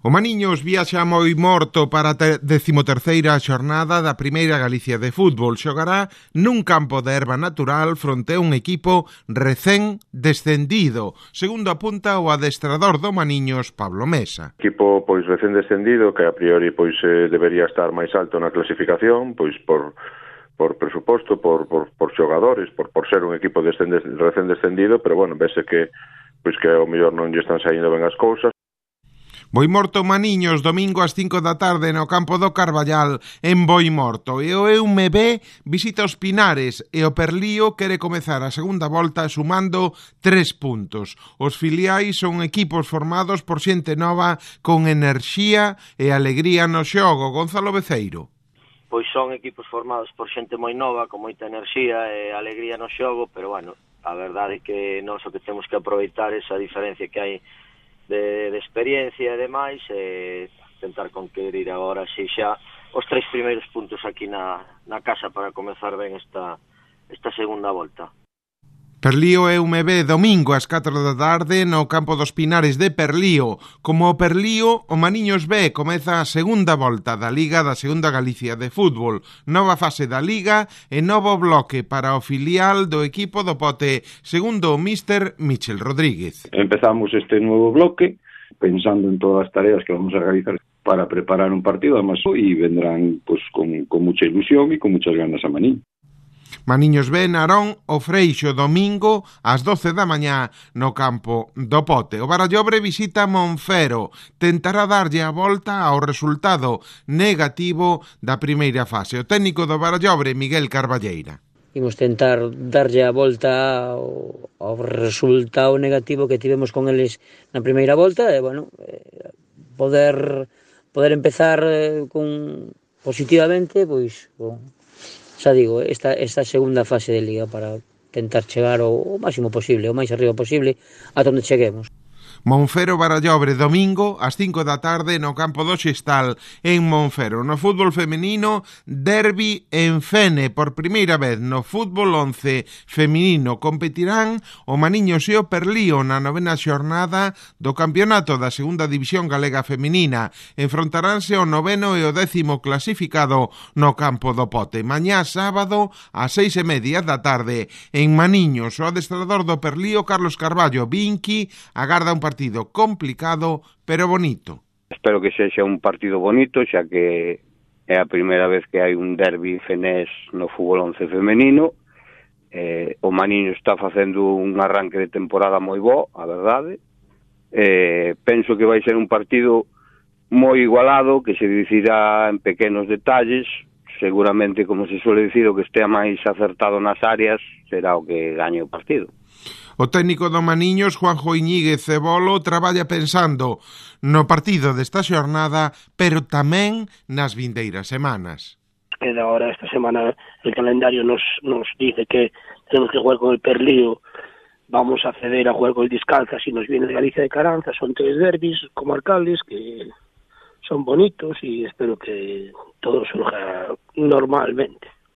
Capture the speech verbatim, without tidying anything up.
O Maniños viaxa moi morto para a decimoterceira xornada da Primeira Galicia de Fútbol. Xogará nun campo de herba natural fronte a un equipo recén descendido, segundo apunta o adestrador do Maniños, Pablo Mesa. Equipo pois recén descendido que a priori pois eh, debería estar máis alto na clasificación, pois por por presuposto, por por por xogadores, por por ser un equipo descende, recén descendido, pero bueno, vese que pois que ao mellor non lle están saindo ben as cousas. Boimorto Maniños, domingo ás cinco da tarde no campo do Carballal, en Boimorto. E o E U M B visita os Pinares e o Perlío quere comezar a segunda volta sumando tres puntos. Os filiais son equipos formados por xente nova con enerxía e alegría no xogo. Gonzalo Beceiro. Pois son equipos formados por xente moi nova, con moita enerxía e alegría no xogo, pero bueno, a verdade é que nós o que temos que aproveitar esa diferencia que hai De, de experiencia e demais, e tentar conquerir agora si xa os tres primeiros puntos aquí na, na casa para comezar ben esta, esta segunda volta. Perlío E U M B domingo ás catro da tarde no campo dos Pinares de Perlío. Como o Perlío, o Maniños B comeza a segunda volta da Liga da Segunda Galicia de Fútbol. Nova fase da Liga e novo bloque para o filial do equipo do Pote, segundo o míster Michel Rodríguez. Empezamos este nuevo bloque pensando en todas as tareas que vamos a realizar para preparar un partido, además, y vendrán pues con, con mucha ilusión y con muchas ganas a Maniños. Maniños B, Narón, o Freixo, domingo ás doce da mañá no campo do Pote. O Barallobre visita Monfero, tentará darlle a volta ao resultado negativo da primeira fase. O técnico do Barallobre, Miguel Carballeira. Imos tentar darlle a volta ao, ao resultado negativo que tivemos con eles na primeira volta e, bueno, eh, poder poder empezar eh, con positivamente, pois, con xa digo, esta, esta segunda fase de Liga para tentar chegar o, o máximo posible, o máis arriba posible, ata onde cheguemos. Monfero Barallobre, domingo ás cinco da tarde no campo do Xestal en Monfero. No fútbol femenino, derbi en Fene. Por primeira vez no fútbol once feminino competirán o Maniños e o Perlío na novena xornada do campeonato da segunda división galega feminina. Enfrontaránse o noveno e o décimo clasificado no campo do Pote. Mañá sábado ás seis e media da tarde en Maniños. O adestrador do Perlío, Carlos Carballo Vinqui, agarda un partido partido complicado, pero bonito. Espero que sexa un partido bonito, xa que é a primeira vez que hai un derbi fenés no fútbol once femenino. Eh, o Maniño está facendo un arranque de temporada moi bo, a verdade. Eh, penso que vai ser un partido moi igualado, que se decidirá en pequenos detalles. Seguramente, como se suele dicir, o que estea máis acertado nas áreas será o que gañe o partido. O técnico do Maniños, Juanjo Iñiguez Cebolo, traballa pensando no partido desta xornada, pero tamén nas vindeiras semanas. E agora esta semana el calendario nos, nos dice que tenemos que jugar con el Perlío, vamos a ceder a jugar con el Discalcas y nos viene de Galicia de Caranza, son tres derbis comarcales que son bonitos y espero que todo surja normalmente.